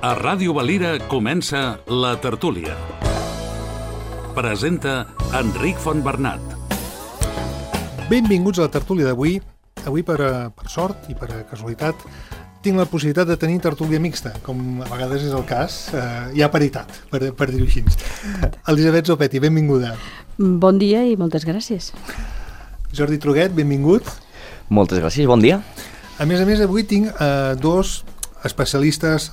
A Ràdio Valira comença La Tertúlia. Presenta Enric Fontbernat. Benvinguts a La Tertúlia d'avui. Avui, per sort i per casualitat, tinc la possibilitat de tenir tertúlia mixta, com a vegades és el cas. Hi ha paritat, per dir-ho així. Elisabet Zopetti, benvinguda. Bon dia i moltes gràcies. Jordi Truguet, benvingut. Moltes gràcies, bon dia. A més, avui tinc dos especialistes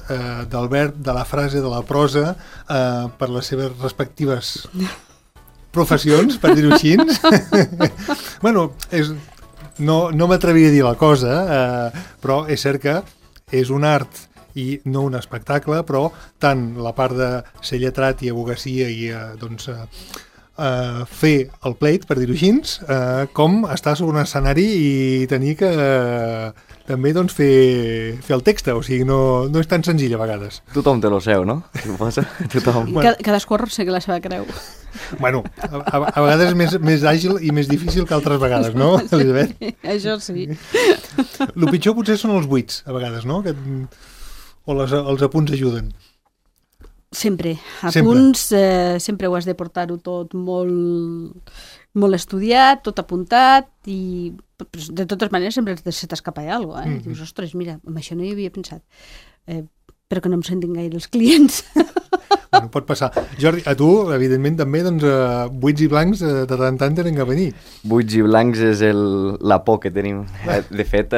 del verb, de la frase, de la prosa, per les seves respectives professions, per dir-ho així. Bueno, no m'atreviria a dir la cosa, però és cert que és un art i no un espectacle, però tant la part de ser lletrat i abogacia i fer el plate, per dir-ho així, com estar sobre un escenari i tenir que també fer el text, o sigui, no és tan senzill a vegades. Tothom té lo seu, no? Tothom. Cadascú arrossega la seva creu. Bueno, a vegades és més àgil i més difícil que altres vegades, no, Elisabet? Això sí. El pitjor potser són els buits, a vegades, no? O els apunts ajuden. Sempre. Apunts, sempre ho has de portar-ho tot molt estudiat, tot apuntat, i de totes maneres sempre se t'escapa alguna cosa. Dius, ostres, mira, amb això no hi havia pensat. Però que no em sentin gaire els clients. Bueno, pot passar. Jordi, a tu, evidentment, també, buits i blancs de tant en tant tenen que venir. Buits i blancs és la por que tenim. De fet,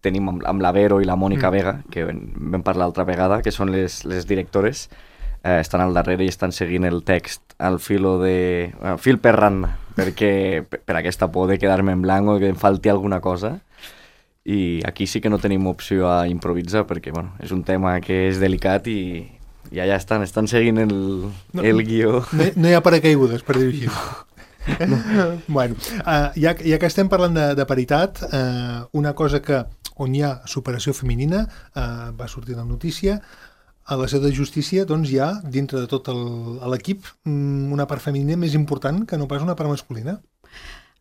tenim amb la Vero i la Mònica Vega, que vam parlar l'altra vegada, que són les directores, estan al darrere i estan seguint el text al fil per randa, perquè per aquesta por de quedar-me en blanc o que em falti alguna cosa. I aquí sí que no tenim opció a improvisar, perquè és un tema que és delicat i allà estan seguint el guió. No hi ha paracaigudes, per dir-ho així. Bueno, ja que estem parlant de paritat, una cosa on hi ha superació femenina, va sortir la notícia, a la seu de justícia hi ha, dintre de tot l'equip, una part femenina més important que no pas una part masculina.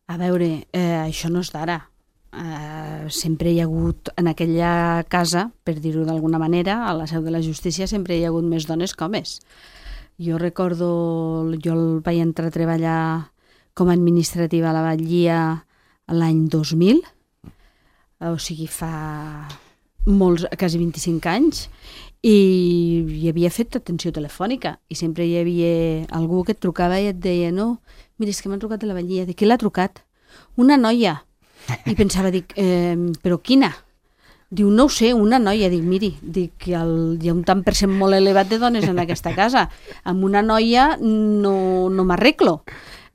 A veure, això no és d'ara. Sempre hi ha hagut, en aquella casa, per dir-ho d'alguna manera, a la seu de la justícia sempre hi ha hagut més dones que homes. Jo recordo, jo vaig entrar a treballar com a administrativa a la Batllia l'any 2000, o sigui fa quasi 25 anys, i havia fet atenció telefònica i sempre hi havia algú que et trucava i et deia, no, mira, és que m'han trucat de la Batllia. De qui l'ha trucat? Una noia. I pensava, però quina? Diu, no ho sé, una noia. Dic, miri, hi ha un tant per cent molt elevat de dones en aquesta casa. Amb una noia no m'arreglo.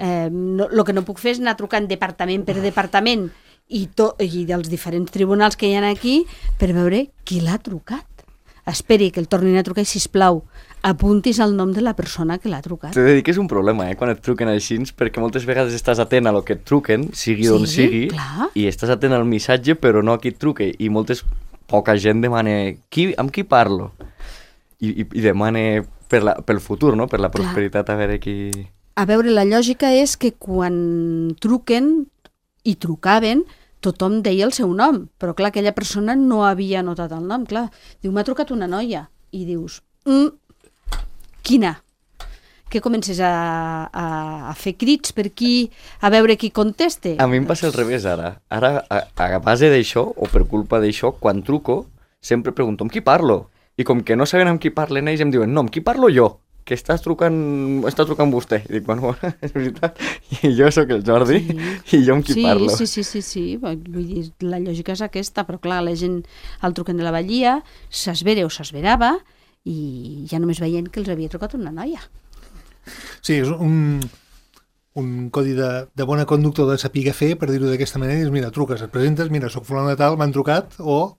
El que no puc fer és anar trucant departament per departament i dels diferents tribunals que hi ha aquí per veure qui l'ha trucat. Esperi que el tornin a trucar i, sisplau, apuntis el nom de la persona que l'ha trucat. T'he de dir que és un problema, quan et truquen així, perquè moltes vegades estàs atent a lo que et truquen, sigui d'on sigui, clar. I estàs atent al missatge, però no a qui et truque. I poca gent demana amb qui parlo. I demana pel futur, no? Per la prosperitat, a veure qui... A veure, la lògica és que quan truquen i trucaven, tothom deia el seu nom, però clar, aquella persona no havia anotat el nom, clar. Diu, m'ha trucat una noia. I dius, quina? Que comences a fer crits per aquí, a veure qui conteste? A mi em passa al revés, ara. Ara, a base d'això, o per culpa d'això, quan truco, sempre pregunto amb qui parlo. I com que no saben amb qui parlen ells, em diuen, no, amb qui parlo jo? Que està trucant vostè. I dic, bueno, és veritat. I jo sóc el Jordi i jo amb qui parlo. Sí. Vull dir, la lògica és aquesta, però clar, la gent el truquen de la Batllia, s'esvera o s'esverava i ja només veient que els havia trucat una noia. Sí, és un codi de bona conducta de saber fer, per dir-ho d'aquesta manera, és, mira, truques, et presentes, mira, soc fulano de tal, m'han trucat, o...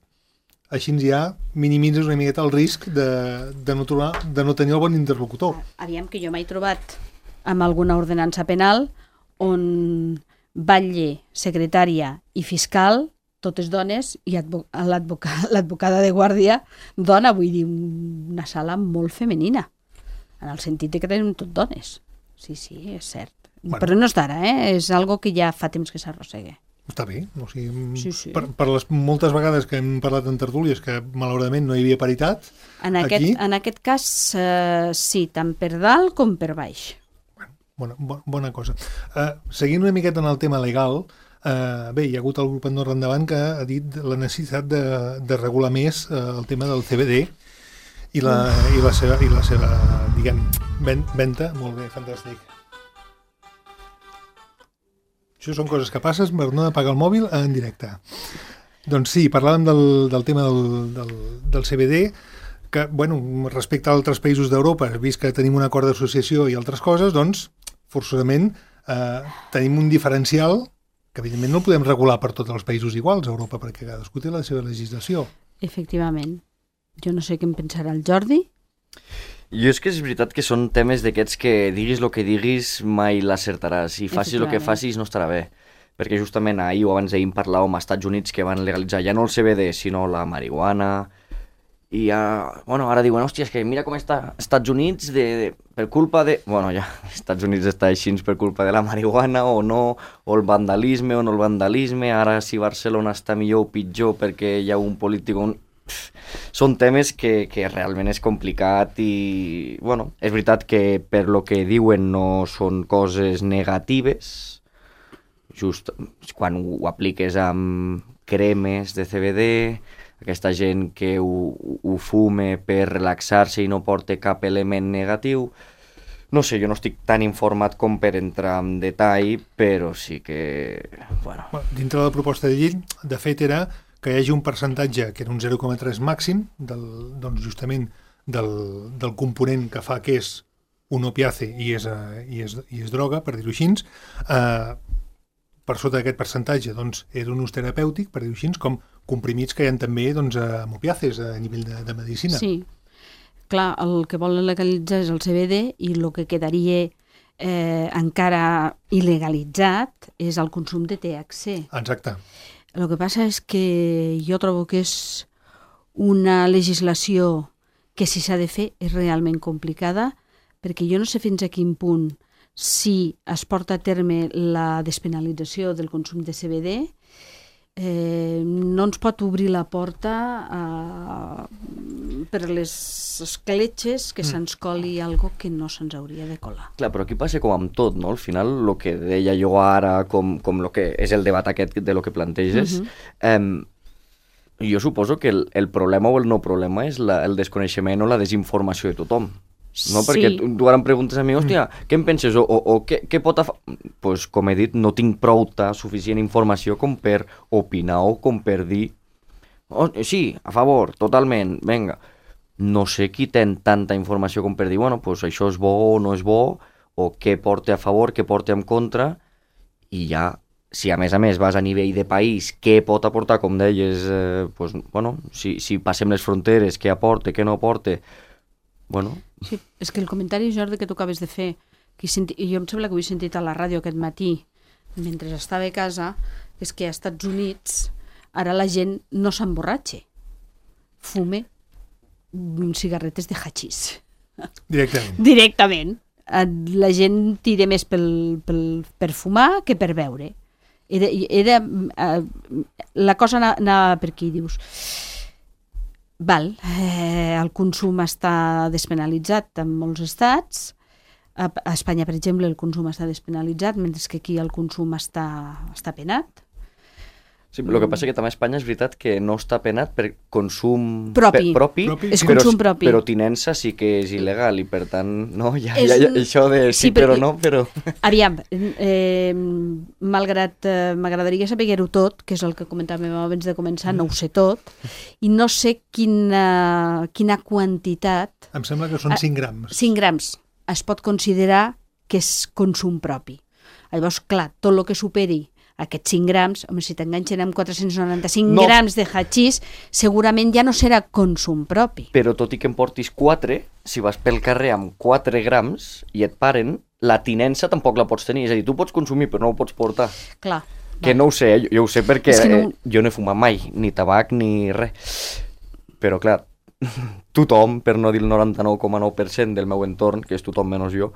Així ja minimitzes una miqueta el risc de no tenir el bon interlocutor. Aviam, que jo m'he trobat amb alguna ordenança penal on batlle, secretària i fiscal, totes dones, i l'advocada de guàrdia, dona, vull dir, una sala molt femenina, en el sentit que tenim tot dones. Sí, és cert. Bueno. Però no és d'ara, és algo que ja fa temps que s'arrossega. Està bé, o sigui, Sí. per les moltes vegades que hem parlat en tertúlies que malauradament no hi havia paritat, En aquí... aquest cas, sí, tant per dalt com per baix. Bona cosa. Seguint una miqueta en el tema legal, bé, hi ha hagut el grup Andorra Endavant que ha dit la necessitat de regular més el tema del CBD i la seva diguem, venda. Molt bé, fantàstic. Això són coses que passes per no apagar el mòbil en directe. Doncs sí, parlàvem del tema del CBD, que, bueno, respecte a altres països d'Europa, vist que tenim un acord d'associació i altres coses, doncs, forçosament, tenim un diferencial que, evidentment, no el podem regular per tots els països iguals a Europa, perquè cadascú té la seva legislació. Efectivament. Jo no sé què en pensarà el Jordi. Jo és que és veritat que són temes d'aquests que diguis el que diguis mai l'acertaràs. Si facis el que facis no estarà bé. Perquè justament ahir o abans d'ahir parlàvem als Estats Units que van legalitzar ja no el CBD, sinó la marihuana. I ja, bueno, ara diuen, hòstia, és que mira com està als Estats Units per culpa de... Bueno, ja, als Estats Units està així per culpa de la marihuana o no, o el vandalisme o no el vandalisme. Ara si Barcelona està millor o pitjor perquè hi ha un polític... Són temes que realment és complicat i, bueno, és veritat que per lo que diuen no són coses negatives, just quan ho apliques amb cremes de CBD, aquesta gent que ho fume per relaxar-se i no porta cap element negatiu. No sé, jo no estic tan informat com per entrar en detall, però sí que... Bueno, dintre de la proposta de llei, de fet, era que hi hagi un percentatge que era un 0,3 màxim doncs justament del component que fa que és un opiace i és droga, per dir-ho així. Per sota d'aquest percentatge doncs, era un ús terapèutic, per dir-ho així, com comprimits que hi ha també doncs, amb opiaces a nivell de medicina. Sí, clar, el que volen legalitzar és el CBD i el que quedaria encara il·legalitzat és el consum de THC. Exacte. El que passa és que jo trobo que és una legislació que si s'ha de fer és realment complicada, perquè jo no sé fins a quin punt si es porta a terme la despenalització del consum de CBD, no ens pot obrir la porta per les escletxes que se'ns coli algo que no se'ns hauria de colar. clar, però aquí passa com amb tot, no? Al final, el que deia jo ara, com lo que és el debat aquest de lo que planteges, jo suposo que el problema o el no problema és el desconeixement o la desinformació de tothom. No? Sí. Perquè tu ara em preguntes a mi, hòstia, què en penses? O què pot pues, com he dit, no tinc suficient informació com per opinar o com per dir sí, a favor, totalment, venga. No sé qui té tanta informació com per dir, bueno, pues això és bo o no és bo, o què porta a favor, què porta en contra, i ja, si a més vas a nivell de país, què pot aportar, com deies, pues, bueno, si passem les fronteres, què aporta, què no aporta, bueno... Sí, és que el comentari, Jordi, que tu acabes de fer, que jo em sembla que ho he sentit a la ràdio aquest matí, mentre estava a casa, és que als Estats Units ara la gent no s'emborratxa, fume cigarretes de hachís. Directament. La gent tira més per fumar que per beure. La cosa anava per aquí, dius... Val, el consum està despenalitzat en molts estats. A Espanya, per exemple, el consum està despenalitzat, mentre que aquí el consum està penat. Sí, el que passa que també a Espanya és veritat que no està penat per consum propi. És consum propi. Però tinença sí que és il·legal i per tant, no, ja això de sí però no, però... Aviam, malgrat m'agradaria saber-ho tot, que és el que comentàvem abans de començar, no ho sé tot, i no sé quina quantitat... Em sembla que són 5 grams. 5 grams. Es pot considerar que és consum propi. Llavors, clar, tot el que superi aquests 5 grams, home, si t'enganxen amb 495 grams de hachís, segurament ja no serà consum propi. Però tot i que en portis 4, si vas pel carrer amb 4 grams i et paren, la tinença tampoc la pots tenir. És a dir, tu pots consumir però no ho pots portar. Clar. Que no ho sé, jo ho sé perquè jo no he fumat mai, ni tabac ni res. Però clar, tothom, per no dir el 99,9% del meu entorn, que és tothom menys jo,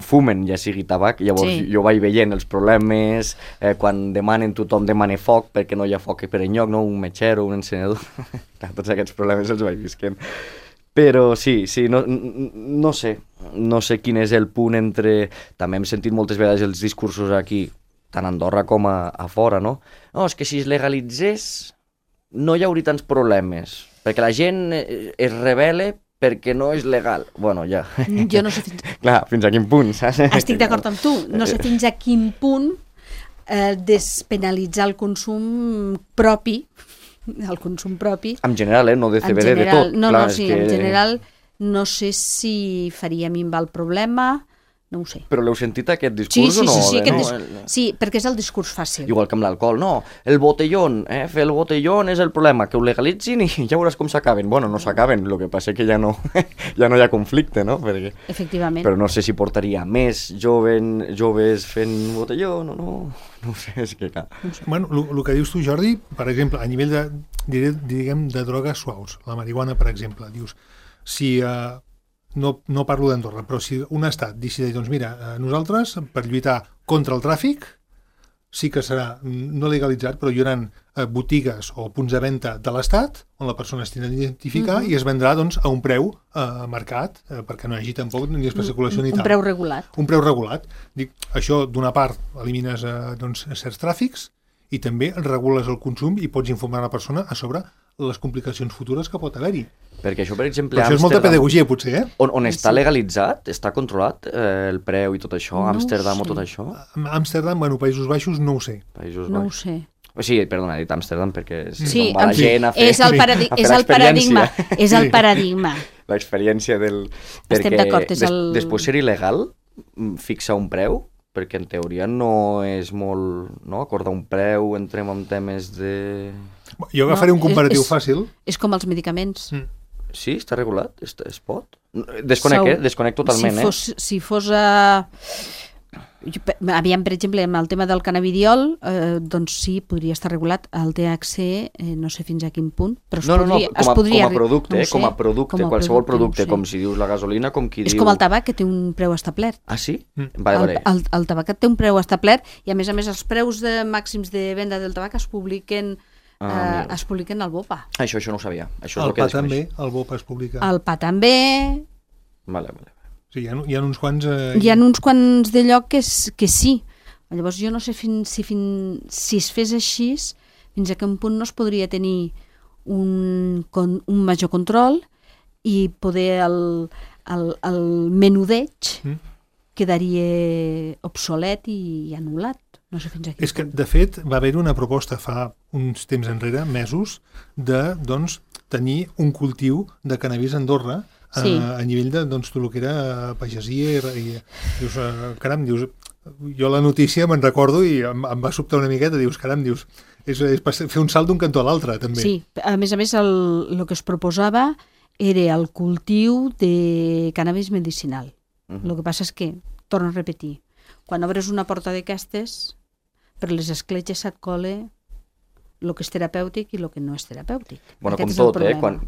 fumen, ja sigui tabac, llavors jo vaig veient els problemes, quan tothom demana foc perquè no hi ha foc per enlloc, no? Un metxero, un encenedor, tots aquests problemes els vaig visquent. Però sí, no sé quin és el punt entre... També hem sentit moltes vegades els discursos aquí, tant a Andorra com a fora, no? No, és que si es legalitzés no hi hauria tants problemes, perquè la gent es rebel·la perquè no és legal. Bueno, ja. Jo no sé Clar, fins a quin punt, saps? Estic d'acord amb tu. No sé fins a quin punt despenalitzar el consum propi, En general, no de CBD, de tot. No, en general no sé si faria minvar el problema, no ho sé. Però l'heu sentit aquest discurs o no? Sí, perquè és el discurs fàcil. Igual que amb l'alcohol, no, el botellón, fer el botellón és el problema, que ho legalitzin i ja veuràs com s'acaben. Bueno, no s'acaben, el que passa que ja no hi ha conflicte, no? Perquè... Efectivament. Però no sé si portaria més joves fent botellón o no, no ho sé, és que clar. Bueno, el que dius tu, Jordi, per exemple, a nivell de drogues suaus, la marihuana, per exemple, dius, si... No parlo d'Andorra, però si un estat decideix, doncs mira, nosaltres, per lluitar contra el tràfic, sí que serà no legalitzat, però hi haurà botigues o punts de venda de l'estat on la persona es tindrà d'identificar i es vendrà doncs, a un preu marcat, perquè no hi hagi tampoc ni especulació ni tal. Un preu regulat. Un preu regulat. Dic, això, d'una part, elimines doncs, certs tràfics i també regules el consum i pots informar la persona a sobre les complicacions futures que pot haver-hi. Perquè això, per exemple, això és molta pedagogia, potser, eh? On està legalitzat, està controlat el preu i tot això, Amsterdam o tot això? Amsterdam, bueno, Països Baixos, no ho sé. No ho sé. Sí, perdona, he dit Amsterdam perquè sí, va la gent a fer és el paradigma. És el paradigma. L'experiència del... Estem d'acord, és el... Després ser il·legal, fixar un preu, perquè en teoria no és molt... No? Acordar un preu, entrem en temes de... Jo agafaré un comparatiu fàcil. És com els medicaments. Sí, està regulat? Es pot? Desconec totalment, si fos aviam, per exemple, amb el tema del cannabidiol, doncs sí, podria estar regulat. El THC, no sé fins a quin punt, però com a producte, qualsevol producte, com si dius la gasolina, com qui diu... És com el tabac, que té un preu establert. Ah, sí? Vale. El tabac té un preu establert i, a més, els preus màxims de venda del tabac es publiquen al BOPA. Això no ho sabia. El pa també, el BOPA es publica. El pa també... Vale. Sí, hi ha uns quants... Hi ha uns quants de lloc que sí. Llavors jo no sé si es fes així, fins a quin punt no es podria tenir un major control i poder el menudeig quedaria obsolet i anul·lat. No sé fins a quin punt. És que, de fet, va haver una proposta fa uns temps enrere, mesos, de tenir un cultiu de cannabis a Andorra a nivell de tot el que era pagesia i dius, caram, jo la notícia me'n recordo i em va sobtar una miqueta, dius, caram, és fer un salt d'un cantó a l'altre, també. Sí, a més, el que es proposava era el cultiu de cannabis medicinal. El que passa és que, torno a repetir, quan obres una porta d'aquestes, per les escletxes se't cola el que és terapèutic i el que no és terapèutic. Bueno,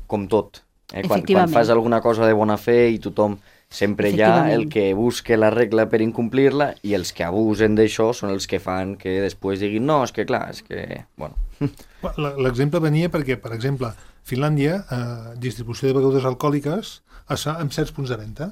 com tot, Quan fas alguna cosa de bona fe i tothom sempre hi ha el que busca la regla per incomplir-la i els que abusen d'això són els que fan que després diguin no, és que clar, és que... Bueno. L'exemple venia perquè, per exemple, Finlàndia, distribució de begudes alcohòliques es fa amb certs punts de venda.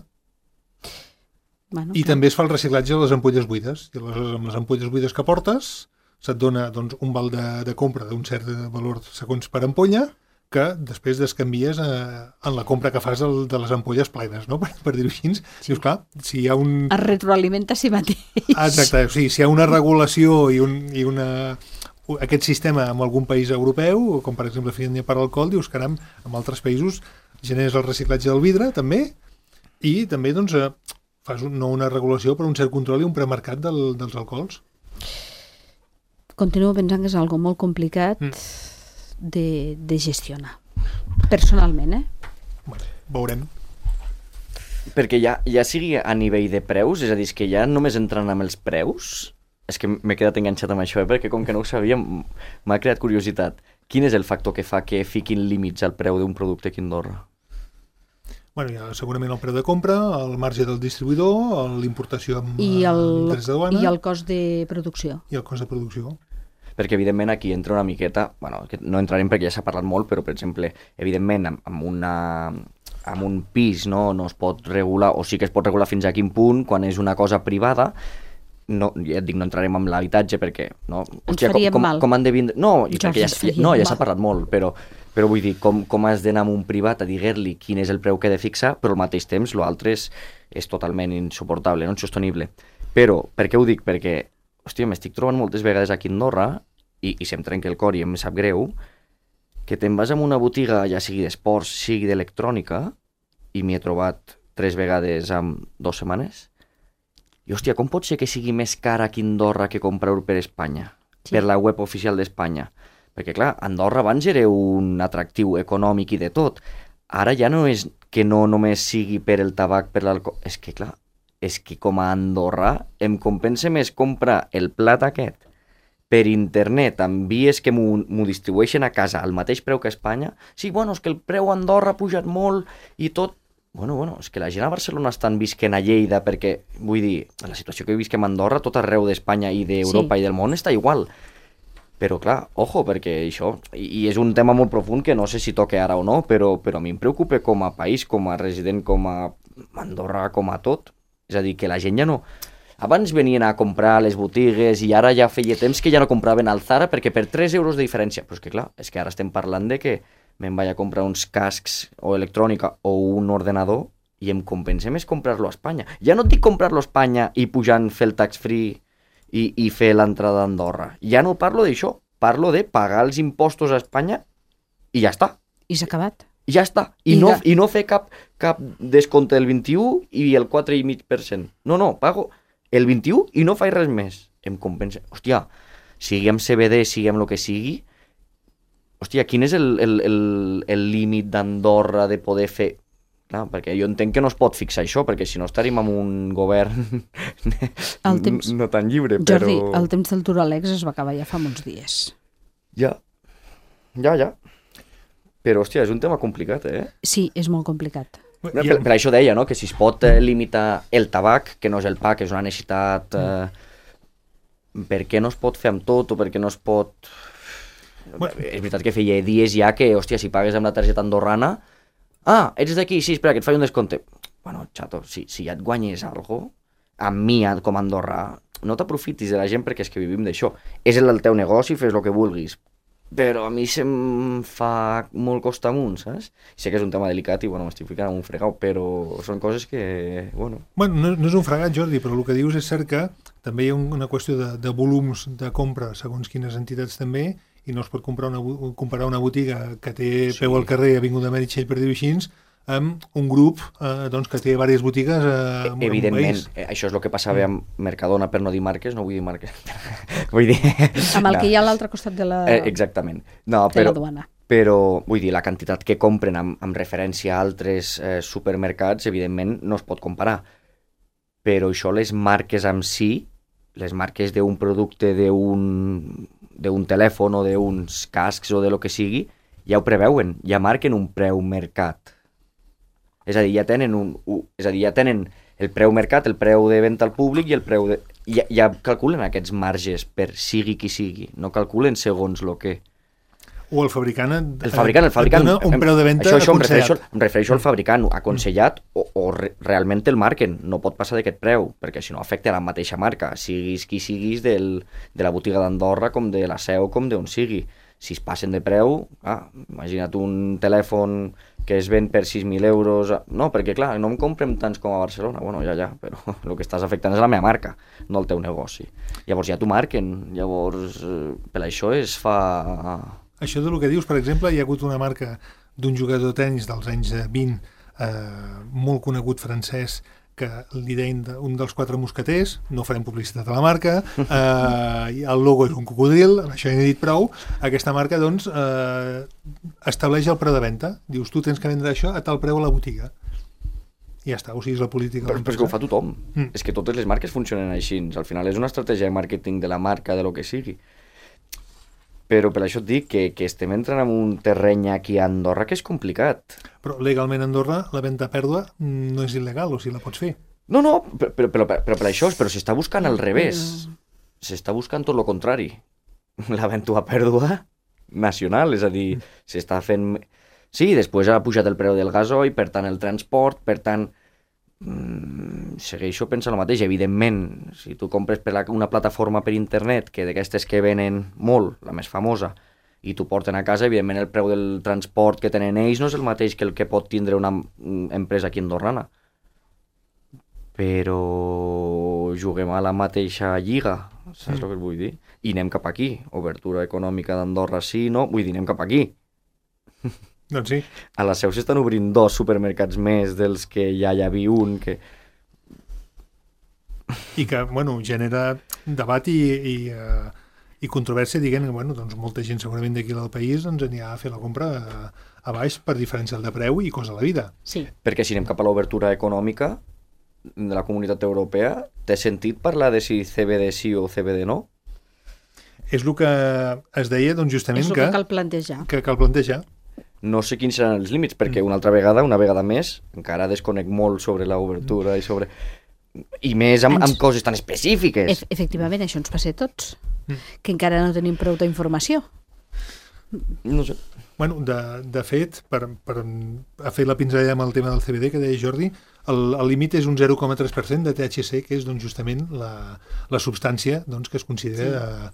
I també es fa el reciclatge de les ampolles buides. I amb les ampolles buides que portes se't dona un val de compra d'un cert valor segons per ampolla que després descanvies en la compra que fas de les ampolles plenes, no? Per dir-ho així. Dius, clar, si hi ha un... Es retroalimenta a si mateix. Exacte, o sigui, si hi ha una regulació i aquest sistema en algun país europeu, com per exemple Finlàndia per l'alcohol, dius, caram, en altres països generes el reciclatge del vidre, també, i també, doncs, fas no una regulació, però un cert control i un premercat dels alcohols. Continuo pensant que és algo molt complicat de gestionar. Personalment, Bueno, veurem. Perquè ja sigui a nivell de preus, és a dir, que ja només entrant amb els preus, és que m'he quedat enganxat amb això, perquè com que no ho sabia, m'ha creat curiositat. Quin és el factor que fa que fiquin límits al preu d'un producte aquí a Andorra? Bueno, hi ha segurament el preu de compra, el marge del distribuïdor, l'importació amb drets de duana... I el cost de producció. I el cost de producció. Perquè, evidentment, aquí entra una miqueta... Bueno, no entrarem perquè ja s'ha parlat molt, però, per exemple, evidentment, amb un pis no es pot regular, o sí que es pot regular fins a quin punt, quan és una cosa privada, no, ja et dic, no entrarem en l'habitatge perquè... No, hòstia, faríem mal. Com han de vindre... No, i perquè ja s'ha parlat molt, però vull dir, com has d'anar amb un privat a dir-li quin és el preu que he de fixar, però al mateix temps l'altre és totalment insuportable, no insostenible. Però, per què ho dic? Perquè, hòstia, m'estic trobant moltes vegades aquí a Andorra, i se'm trenca el cor i em sap greu, que te'n vas a una botiga, ja sigui d'esports, sigui d'electrònica, i m'hi he trobat 3 vegades en 2 setmanes, i, hòstia, com pot ser que sigui més cara aquí a Andorra que comprar-ho per Espanya? Sí. Per la web oficial d'Espanya? Perquè, clar, Andorra abans era un atractiu econòmic i de tot. Ara ja no és que no només sigui per el tabac, per l'alcohol... És que, clar, és que com a Andorra em compensa més comprar el plat aquest per internet amb vies que m'ho distribueixen a casa al mateix preu que a Espanya. Sí, bueno, és que el preu a Andorra ha pujat molt i tot... Bueno, és que la gent a Barcelona estan visquent a Lleida perquè, vull dir, la situació que visquem a Andorra, tot arreu d'Espanya i d'Europa i del món està igual. Però, clar, ojo, perquè això... I és un tema molt profund que no sé si toca ara o no, però a mi em preocupa com a país, com a resident, com a Andorra, com a tot. És a dir, que la gent ja no... Abans venien a comprar a les botigues i ara ja feia temps que ja no compraven al Zara perquè per 3 euros de diferència. Però és que, clar, és que ara estem parlant de que me'n vaig a comprar uns cascs o electrònica o un ordenador i em compensa més comprar-lo a Espanya. Ja no et dic comprar-lo a Espanya i pujant, fer el tax-free i fer l'entrada a Andorra. Ja no parlo d'això. Parlo de pagar els impostos a Espanya i ja està. I s'ha acabat. Ja està. I no fer cap descompte del 21 i el 4,5%. No, pago el 21 i no faig res més. Em compensa. Hòstia, sigui amb CBD, sigui amb el que sigui, hòstia, quin és el límit d'Andorra de poder fer... Clar, perquè jo entenc que no es pot fixar això, perquè si no estaríem en un govern no tan lliure, però... Jordi, el temps del Turalex es va acabar ja fa molts dies. Ja. Però, hòstia, és un tema complicat, eh? Sí, és molt complicat. Per això deia, no?, que si es pot limitar el tabac, que no és el pa, que és una necessitat... Per què no es pot fer amb tot, o per què no es pot... És veritat que feia dies ja que, hòstia, si pagues amb la targeta andorrana... Ah, ets d'aquí? Sí, espera, que et faig un descompte. Bueno, xato, si ja et guanyes alguna cosa, amb mi com a Andorra, no t'aprofitis de la gent perquè és que vivim d'això. És el teu negoci, fes el que vulguis. Però a mi se'm fa molt costa amunt, saps? Sé que és un tema delicat i, bueno, m'estic ficant en un fregau, però són coses que, bueno... Bueno, no és un fregat, Jordi, però el que dius és cert que també hi ha una qüestió de volums de compra, segons quines entitats també, i no es pot comparar una botiga que té peu al carrer a Avinguda Meritxell, per dir-ho així, amb un grup que té diverses botigues evidentment, això és el que passava amb Mercadona, per no dir marques, no vull dir marques. Vull dir... Amb el que hi ha a l'altre costat de la... Exactament. No, de la duana. Però, vull dir, la quantitat que compren amb referència a altres supermercats, evidentment, no es pot comparar. Però això, les marques en si, les marques d'un producte, d'un telèfon o d'uns cascs o de lo que sigui, ja ho preveuen, ja marquen un preu mercat. És a dir, ja tenen el preu mercat, el preu de venda al públic i el preu de... Ja calculen aquests marges per sigui qui sigui, no calculen segons el que... O el fabricant et dona un preu de venda aconsellat. Em refereixo al fabricant aconsellat o realment el marquen. No pot passar d'aquest preu, perquè si no afecta la mateixa marca, siguis qui siguis de la botiga d'Andorra com de la Seu, com d'on sigui. Si es passen de preu, imagina't un telèfon que es ven per 6.000 euros... No, perquè clar, no en comprem tants com a Barcelona. Bueno, ja, però el que estàs afectant és la meva marca, no el teu negoci. Llavors ja t'ho marquen, llavors per això es fa... Això del que dius, per exemple, hi ha hagut una marca d'un jugador de tenis dels anys 20, molt conegut francès, que li deien un dels 4 mosqueters, no farem publicitat a la marca, el logo és un cocodril, això ja n'he dit prou, aquesta marca, doncs, estableix el preu de venda. Dius, tu tens que vendre això a tal preu a la botiga. I ja està, o sigui, és la política. Però és que ho fa tothom. És que totes les marques funcionen així. Al final és una estratègia de màrqueting de la marca, de lo que sigui. Però per això et dic que estem entrant en un terreny aquí a Andorra que és complicat. Però legalment a Andorra la venda a pèrdua no és il·legal, o si la pots fer. No, però per això, però s'està buscant al revés. S'està buscant tot el contrari. La venda a pèrdua nacional, és a dir, s'està fent... Sí, després ha pujat el preu del gasoil, per tant el transport, per tant... segueixo pensant el mateix, evidentment, si tu compres per una plataforma per internet, que d'aquestes que venen molt, la més famosa, i t'ho porten a casa, evidentment el preu del transport que tenen ells no és el mateix que el que pot tindre una empresa aquí andorrana. Però juguem a la mateixa lliga, saps el que vull dir? I anem cap aquí, obertura econòmica d'Andorra sí, no? Vull dir, anem cap aquí. Doncs sí. A la Seu s'estan obrint 2 supermercats més dels que ja hi havia un, que... I que, bueno, genera debat i controvèrsia, diguem que, bueno, doncs molta gent segurament d'aquí del país doncs anirà a fer la compra a baix per diferencial de preu i cosa a la vida. Sí. Perquè si anem cap a l'obertura econòmica de la Comunitat Europea, té sentit parlar de si CBD sí o CBD no? És el que es deia, doncs, justament És el que cal plantejar. Que cal plantejar. No sé quins seran els límits, perquè una vegada més, encara desconec molt sobre l'obertura i sobre... I més amb coses tan específiques. Efectivament, això ens passa a tots, que encara no tenim prou d'informació. No sé. Bueno, de fet, per fer la pinzellada amb el tema del CBD, que deia Jordi, el límit és un 0,3% de THC, que és doncs, justament la substància doncs, que es considera...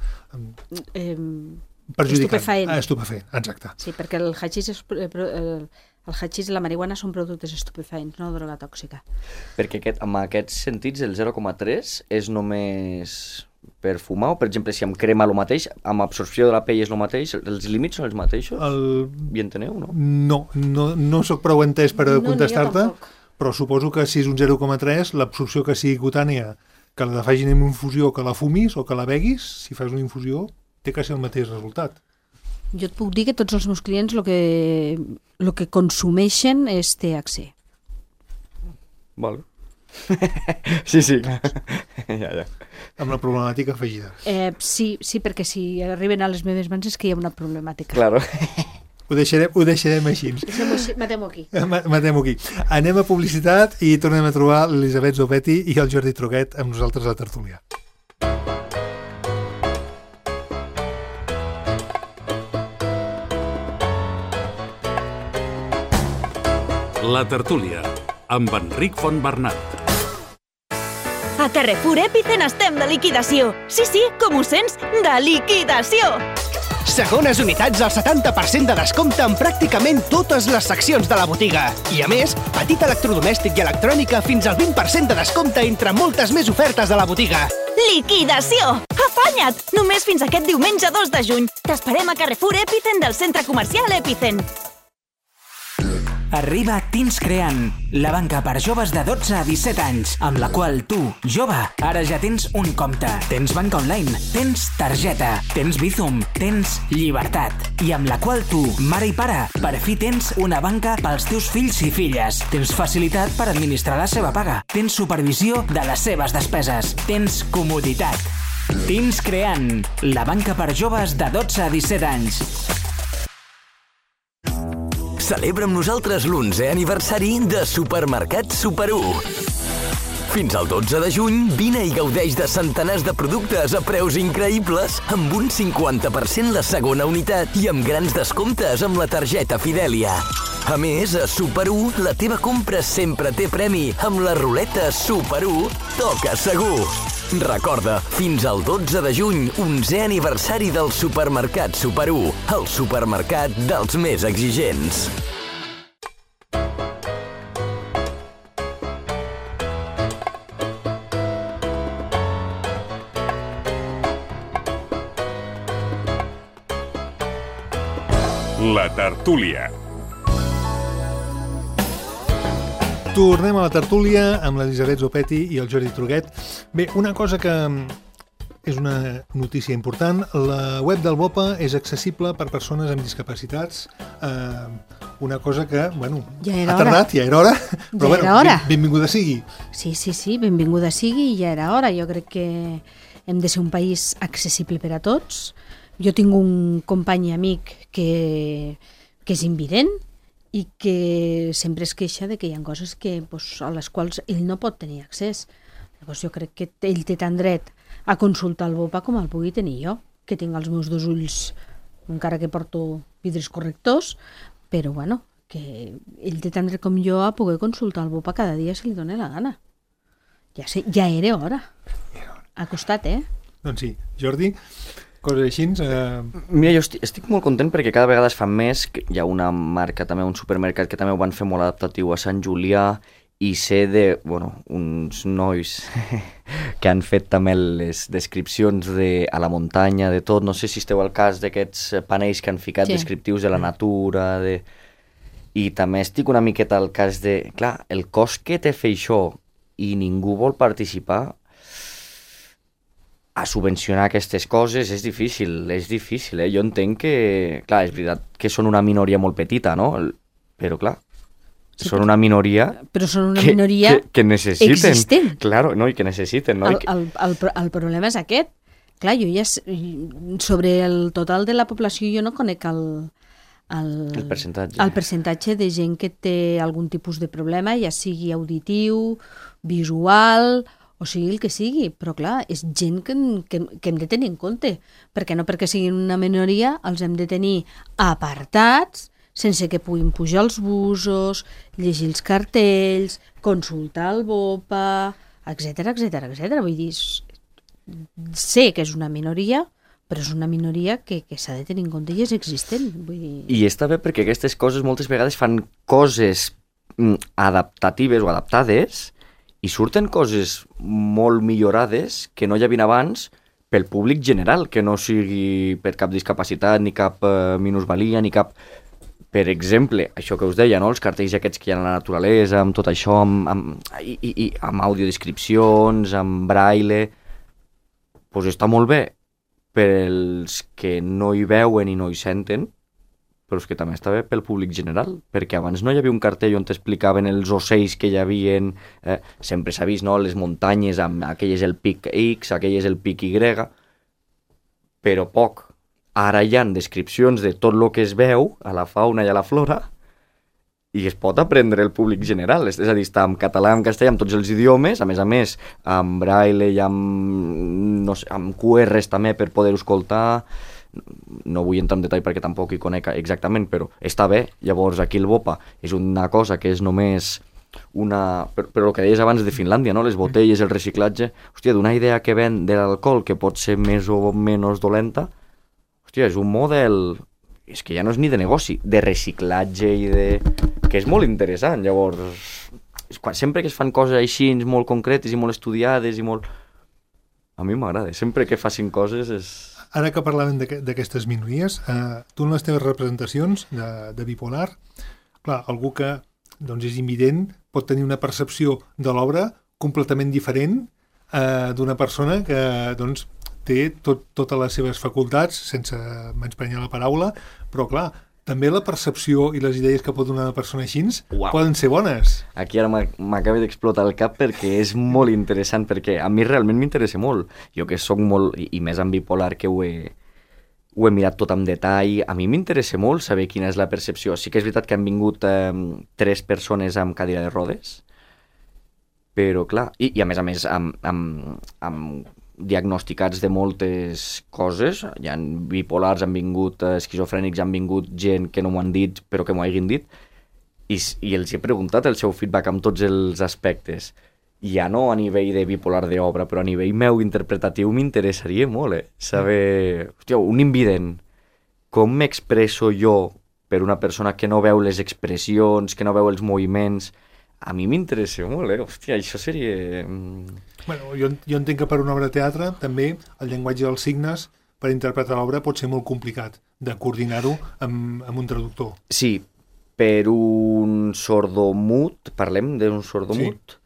perjudicant. Estupefacient, exacte. Sí, perquè el hachís i la marihuana són productes estupefaents, no droga tòxica. Perquè amb aquests sentits el 0,3 és només per fumar, o per exemple si amb crema el mateix, amb absorció de la pell és el mateix, els límits són els mateixos? I enteneu, no? No soc prou entès per contestar-te, però suposo que si és un 0,3 l'absorció que sigui cutània, que la facin en infusió, que la fumis o que la beguis, si fas una infusió té quasi el mateix resultat. Jo et puc dir que tots els meus clients el que consumeixen és THC. Vale. Sí, clar. Ja. Amb la problemàtica afegida. Sí, perquè si arriben a les meves mans és que hi ha una problemàtica. Claro. Ho deixarem així. Matem-ho aquí. Matem-ho aquí. Anem a publicitat i tornem a trobar l'Elisabet Zopetti i el Jordi Truquet amb nosaltres a la tertúlia. La tertúlia, amb Enric Fontbernat. A Carrefour Epicen estem de liquidació. Sí, com ho sents, de liquidació. Segones unitats al 70% de descompte en pràcticament totes les seccions de la botiga. I a més, petit electrodomèstic i electrònica fins al 20% de descompte entre moltes més ofertes de la botiga. Liquidació! Afanya't! Només fins aquest diumenge 2 de juny. T'esperem a Carrefour Epicen del centre comercial Epicen. Arriba Teens Creant, la banca per joves de 12 a 17 anys, amb la qual tu, jove, ara ja tens un compte. Tens banca online, tens targeta, tens Bizum, tens llibertat. I amb la qual tu, mare i pare, per fi tens una banca pels teus fills i filles. Tens facilitat per administrar la seva paga. Tens supervisió de les seves despeses. Tens comoditat. Teens Creant, la banca per joves de 12 a 17 anys. Celebra amb nosaltres l'11è aniversari de Supermercat Super 1. Fins al 12 de juny, vine i gaudeix de centenars de productes a preus increïbles, amb un 50% la segona unitat i amb grans descomptes amb la targeta Fidèlia. A més, a Super 1, la teva compra sempre té premi amb la ruleta Super 1 Toca Segur. Recorda, fins al 12 de juny, 11è aniversari del Supermercat Super 1, el supermercat dels més exigents. La tertúlia. Tornem a la tertúlia amb l'Elisabet Zopetti i el Jordi Truquet. Bé, una cosa que és una notícia important, la web del BOPA és accessible per persones amb discapacitats, una cosa que, bueno, ha tardat, ja era hora, però bueno, benvinguda sigui. Sí, benvinguda sigui i ja era hora. Jo crec que hem de ser un país accessible per a tots, Jo tinc un company i amic que és invident i que sempre es queixa de que hi ha coses a les quals ell no pot tenir accés. Llavors jo crec que ell té tant dret a consultar el BOPA com el pugui tenir jo, que tinc els meus 2 ulls, encara que porto vidres correctors, però bueno, que ell té tant dret com jo a poder consultar el BOPA cada dia si li dóna la gana. Ja era hora. Ha costat, Doncs sí. Jordi, coses així... Mira, jo estic molt content perquè cada vegada es fan més. Hi ha una marca, també un supermercat, que també ho van fer molt adaptatiu a Sant Julià, i sé uns nois que han fet també les descripcions a la muntanya, de tot. No sé si esteu al cas d'aquests panells que han ficat descriptius de la natura, i també estic una miqueta al cas de... Clar, el cost que té fer això i ningú vol participar a subvencionar aquestes coses és difícil, Jo entenc que, clar, és veritat que són una minoria molt petita, no? Però, clar, són una minoria... Però són una minoria que necessiten. Existent. Claro, no? I que necessiten, no? El problema és aquest. Clar, jo ja... Sobre el total de la població jo no conec el percentatge. El percentatge de gent que té algun tipus de problema, ja sigui auditiu, visual, o sigui el que sigui, però clar, és gent que hem de tenir en compte, perquè no perquè siguin una minoria els hem de tenir apartats, sense que puguin pujar els busos, llegir els cartells, consultar el BOPA, etc. Vull dir, sé que és una minoria, però és una minoria que s'ha de tenir en compte i és existent. Vull dir... I està bé perquè aquestes coses moltes vegades fan coses adaptatives o adaptades i surten coses molt millorades que no hi havia abans pel públic general, que no sigui per cap discapacitat, ni cap minusvalia, ni cap... Per exemple, això que us deia, no? Els cartells aquests que hi ha a la naturalesa, amb tot això, amb audiodescripcions, amb braille... Doncs està molt bé pels que no hi veuen i no hi senten, però és que també està bé pel públic general, perquè abans no hi havia un cartell on t'explicaven els ocells que hi havia, sempre s'ha vist, no?, les muntanyes, amb aquell és el pic X, aquell és el pic Y, però poc. Ara hi ha descripcions de tot el que es veu a la fauna i a la flora i es pot aprendre el públic general, és a dir, està en català, en castellà, amb tots els idiomes, a més, amb braille i amb QRs també per poder-ho escoltar. No vull entrar en detall perquè tampoc hi conec exactament, però està bé. Llavors aquí el BOPA és una cosa que és només una... Però el que deies abans de Finlàndia, no? Les botelles, el reciclatge... Hòstia, d'una idea que ven de l'alcohol que pot ser més o menys dolenta, hòstia, és un model... És que ja no és ni de negoci, de reciclatge i de... que és molt interessant. Llavors, sempre que es fan coses així molt concretes i molt estudiades i molt... A mi m'agrada, sempre que facin coses és... Ara que parlàvem d'aquestes minories, tu en les teves representacions de bipolar, clar, algú que doncs, és invident pot tenir una percepció de l'obra completament diferent d'una persona que doncs, té totes les seves facultats, sense menysprenyar la paraula, però clar, també la percepció i les idees que pot donar una persona així poden ser bones. Aquí ara m'acaba d'explotar el cap perquè és molt interessant, perquè a mi realment m'interessa molt. Jo que soc molt, i més amb bipolar, que ho he mirat tot amb detall, a mi m'interessa molt saber quina és la percepció. Sí que és veritat que han vingut 3 persones amb cadira de rodes, però clar, i a més amb diagnosticats de moltes coses, hi ha bipolars, han vingut esquizofrènics, han vingut gent que no m'ho han dit però que m'ho hagin dit, i els he preguntat el seu feedback amb tots els aspectes. Ja no a nivell de bipolar d'obra, però a nivell meu interpretatiu m'interessaria molt saber, hòstia, un invident, com m'expresso jo per una persona que no veu les expressions, que no veu els moviments. A mi m'interessa molt, hòstia, això seria... Bueno, jo entenc que per una obra de teatre també el llenguatge dels signes per interpretar l'obra pot ser molt complicat de coordinar-ho amb un traductor. Sí, per un sordomut, parlem d'un sordomut?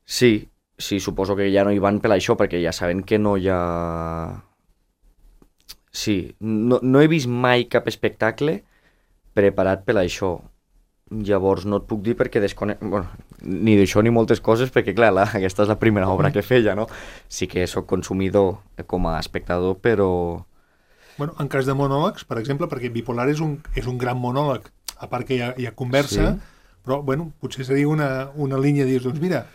Sí, suposo que ja no hi van per això, perquè ja saben que no hi ha... Sí, no he vist mai cap espectacle preparat per això. Llavors no et puc dir perquè ni d'això ni moltes coses, perquè clar, aquesta és la primera obra que feia, no? Sí que sóc consumidor com a espectador, però Bueno, en cas de monòlegs, per exemple, perquè bipolar és un gran monòleg, a part que hi ha conversa, però bueno, potser seria una línia de dir, doncs mira,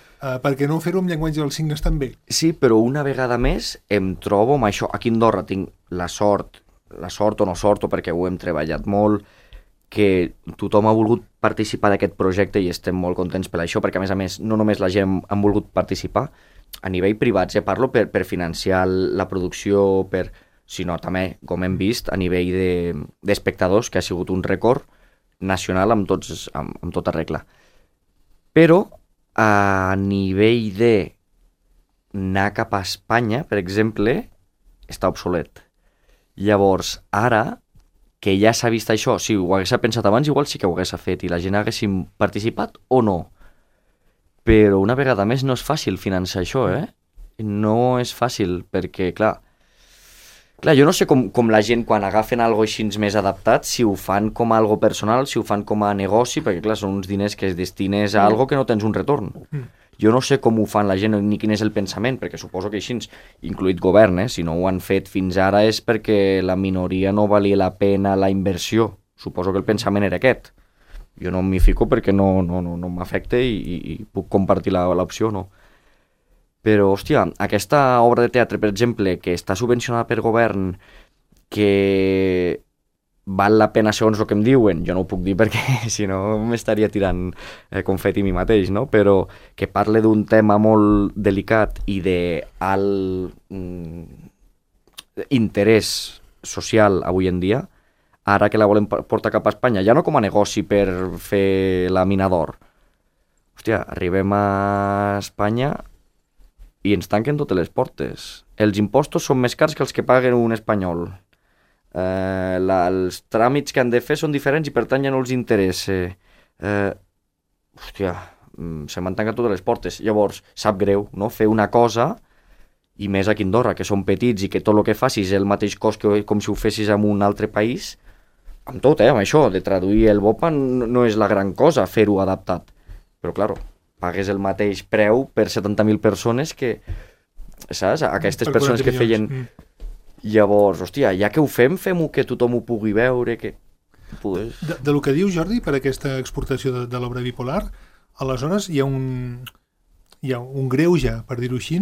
per què no fer-ho amb llenguatge dels signes també? Sí, però una vegada més em trobo amb això. Aquí a Andorra tinc la sort o no sort, o perquè ho hem treballat molt, que tothom ha volgut participar d'aquest projecte i estem molt contents per això, perquè a més, no només la gent han volgut participar, a nivell privat, parlo per financiar la producció, sinó també, com hem vist, a nivell d'espectadors, que ha sigut un rècord nacional amb tota regla. Però a nivell d'anar cap a Espanya, per exemple, està obsolet. Llavors, ara que ja s'ha vist això, si ho hagués pensat abans, igual sí que ho hagués fet i la gent haguéssim participat o no. Però una vegada més no és fàcil finançar això, No és fàcil, perquè, clar, jo no sé com la gent quan agafen algo així més adaptat, si ho fan com a algo personal, si ho fan com a negoci, perquè, clar, són uns diners que es destines a algo que no tens un retorn. Jo no sé com ho fan la gent ni quin és el pensament, perquè suposo que així, incluït govern, si no ho han fet fins ara és perquè la minoria no valia la pena la inversió. Suposo que el pensament era aquest. Jo no m'hi fico perquè no m'afecta i puc compartir l'opció, no. Però, hòstia, aquesta obra de teatre, per exemple, que està subvencionada per govern, que val la pena segons el que em diuen, jo no ho puc dir perquè si no m'estaria tirant confeti a mi mateix, no? Però que parle d'un tema molt delicat i d'alt interès social avui en dia, ara que la volem portar cap a Espanya, ja no com a negoci per fer la mina d'or. Hòstia, arribem a Espanya i ens tanquen totes les portes. Els impostos són més cars que els que paguen un espanyol. Els tràmits que han de fer són diferents i per tant ja no els interessa. Hòstia, se m'han tancat totes les portes. Llavors, sap greu, no?, fer una cosa, i més aquí a Andorra, que són petits i que tot el que facis és el mateix cost que com si ho fessis en un altre país. Amb tot, amb això, de traduir el BOPA no és la gran cosa fer-ho adaptat. Però, clar, pagues el mateix preu per 70.000 persones que, saps? Aquestes persones que feien... Llavors, hòstia, ja que ho fem-ho que tothom ho pugui veure, que... De lo que diu Jordi, per aquesta exportació de l'obra bipolar, aleshores hi ha un greuge, per dir-ho així,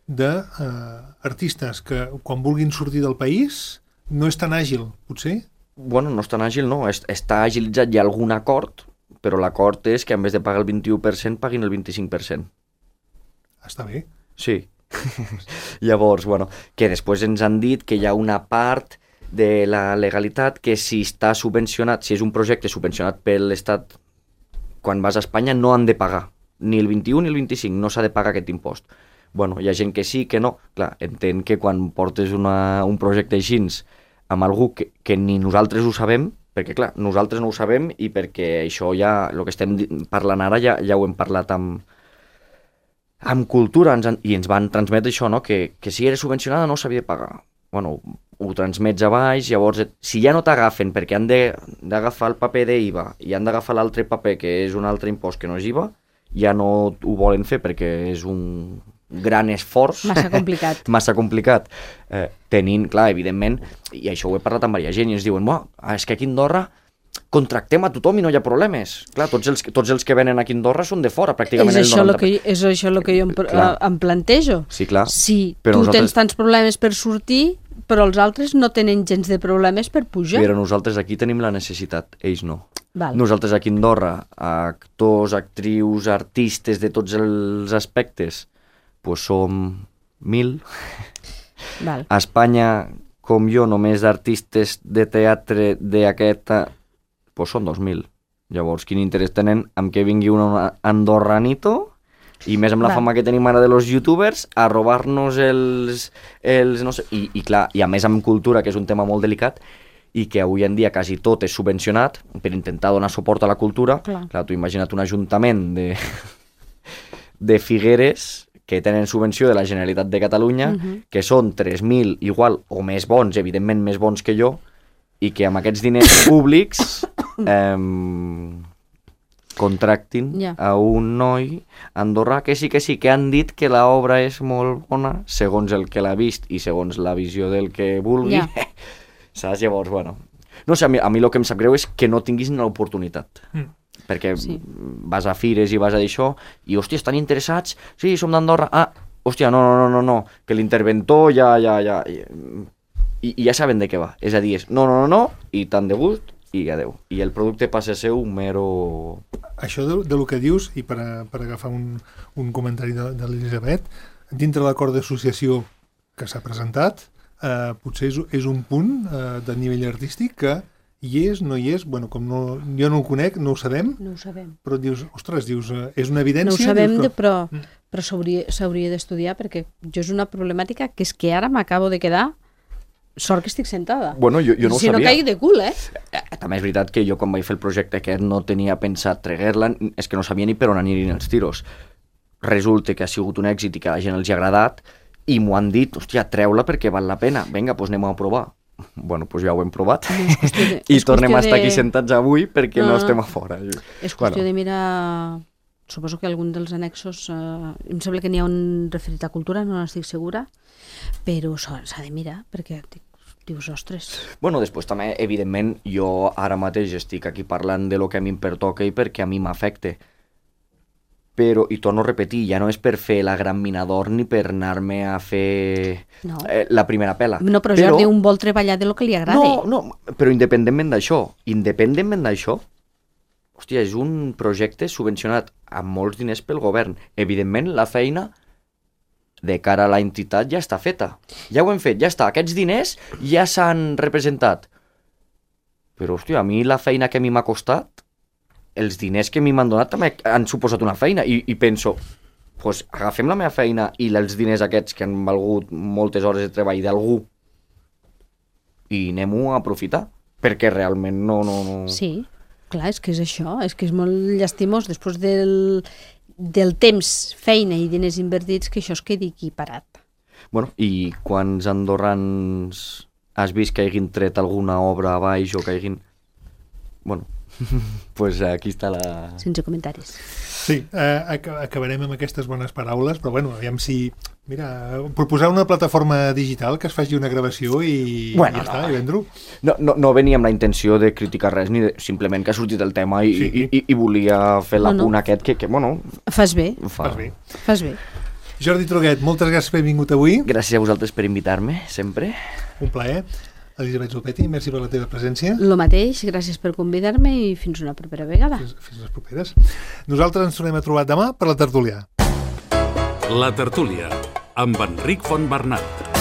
d'artistes que quan vulguin sortir del país no és tan àgil, potser? Bueno, no és tan àgil, no. Està agilitzat, hi ha algun acord, però l'acord és que en vez de pagar el 21% paguin el 25%. Està bé. Sí. Llavors, bueno, que després ens han dit que hi ha una part de la legalitat que si està subvencionat, si és un projecte subvencionat per l'Estat, quan vas a Espanya no han de pagar, ni el 21 ni el 25, no s'ha de pagar aquest impost. Bueno, hi ha gent que sí, que no. Clar, entenc que quan portes un projecte així amb algú que ni nosaltres ho sabem, perquè clar, nosaltres no ho sabem i perquè això ja, el que estem parlant ara ja ho hem parlat amb cultura i ens van transmetre això, no? Que si era subvencionada no s'havia de pagar. Bueno, ho transmets a baix, llavors si ja no t'agafen perquè han d'agafar el paper d'IVA i han d'agafar l'altre paper que és un altre impost que no és IVA, ja no ho volen fer perquè és un gran esforç. Massa complicat. Tenint, clar, evidentment, i això ho he parlat amb diversa gent, i ens diuen, és que aquí a Andorra contractem a tothom i no hi ha problemes. Clar, tots els que venen aquí a Andorra són de fora, pràcticament el 90%. És això el que jo em plantejo. Sí, clar. Si tu tens tants problemes per sortir, però els altres no tenen gens de problemes per pujar. Però nosaltres aquí tenim la necessitat, ells no. Val. Nosaltres aquí a Andorra, actors, actrius, artistes de tots els aspectes, pues som 1.000. Val. A Espanya, com jo, només d'artistes de teatre d'aquesta, pues són 2.000. Llavors, quin interès tenen amb que vingui un andorranito, i més amb la fama que tenim ara de los youtubers, a robar-nos els no sé, i clar, i a més amb cultura, que és un tema molt delicat, i que avui en dia quasi tot és subvencionat per intentar donar suport a la cultura. Clar, tu imagina't un ajuntament de Figueres que tenen subvenció de la Generalitat de Catalunya, que són 3.000 igual o més bons, evidentment més bons que jo, i que amb aquests diners públics contractin a un noi andorrà que sí, que han dit que l'obra és molt bona, segons el que l'ha vist i segons la visió del que vulgui. Saps? Llavors, bueno... No sé, a mi el que em sap greu és que no tinguis l'oportunitat. Perquè vas a fires i vas a d'això i, hòstia, estan interessats? Sí, som d'Andorra. Ah, hòstia, no, que l'interventor ja... I ja saben de què va. És a dir, és no, i tant de gust, i adeu. I el producte passa a ser un mero... Això de lo que dius, i per agafar un comentari de l'Elisabet, dintre l'acord d'associació que s'ha presentat, potser és un punt de nivell artístic que hi és, no hi és, bueno, com jo no ho conec, no ho sabem, però dius, ostres, és una evidència... No ho sabem, però s'hauria d'estudiar, perquè jo és una problemàtica que és que ara m'acabo de quedar. Sort que estic sentada. Bueno, jo no ho sabia. Si no caigui de cul, També és veritat que jo quan vaig fer el projecte aquest no tenia pensat treguer-la, és que no sabia ni per on anirien els tiros. Resulta que ha sigut un èxit i que a la gent els ha agradat i m'ho han dit, hòstia, treu-la perquè val la pena. Vinga, doncs anem a provar. Bueno, doncs ja ho hem provat. I tornem a estar aquí sentats avui perquè no estem a fora. És qüestió de mirar... Suposo que algun dels annexos... Em sembla que n'hi ha un referit a cultura, no n'estic segura, però s'ha de mirar, perquè dius, ostres... Bueno, després també, evidentment, jo ara mateix estic aquí parlant de lo que a mi em pertoca i perquè a mi m'afecta. Però, i torno a repetir, ja no és per fer la gran mina d'or ni per anar-me a fer la primera pela. No, però Jordi, un vol treballar de lo que li agrada. No, però independentment d'això, hòstia, és un projecte subvencionat amb molts diners pel govern. Evidentment, la feina de cara a l'entitat ja està feta. Ja ho hem fet, ja està. Aquests diners ja s'han representat. Però, hòstia, a mi la feina que a mi m'ha costat, els diners que a mi m'han donat també han suposat una feina. I penso, doncs agafem la meva feina i els diners aquests que han valgut moltes hores de treball d'algú i anem-ho a aprofitar. Perquè realment no... Sí. Clar, és que és això, és que és molt llastimós després del temps, feina i diners invertits que això es quedi aquí parat. Bueno, i quants andorrans has vist que hagin tret alguna obra a baix o que hagin... Bueno, pues aquí està la... Sense comentaris. Sí, acabarem amb aquestes bones paraules, però bueno, aviam si... Mira, proposar una plataforma digital que es faci una gravació i ja està, i vendre-ho. No venia amb la intenció de criticar res, ni simplement que ha sortit el tema i volia fer l'apunt aquest que, bueno... Fas bé. Fas bé. Jordi Truguet, moltes gràcies per haver vingut avui. Gràcies a vosaltres per invitar-me, sempre. Un plaer. Elisabet Zopetti, merci per la teva presència. Lo mateix, gràcies per convidar-me i fins una propera vegada. Fins les properes. Nosaltres ens tornem a trobar demà per la tertúlia. La tertúlia, amb Enric Fontbernat.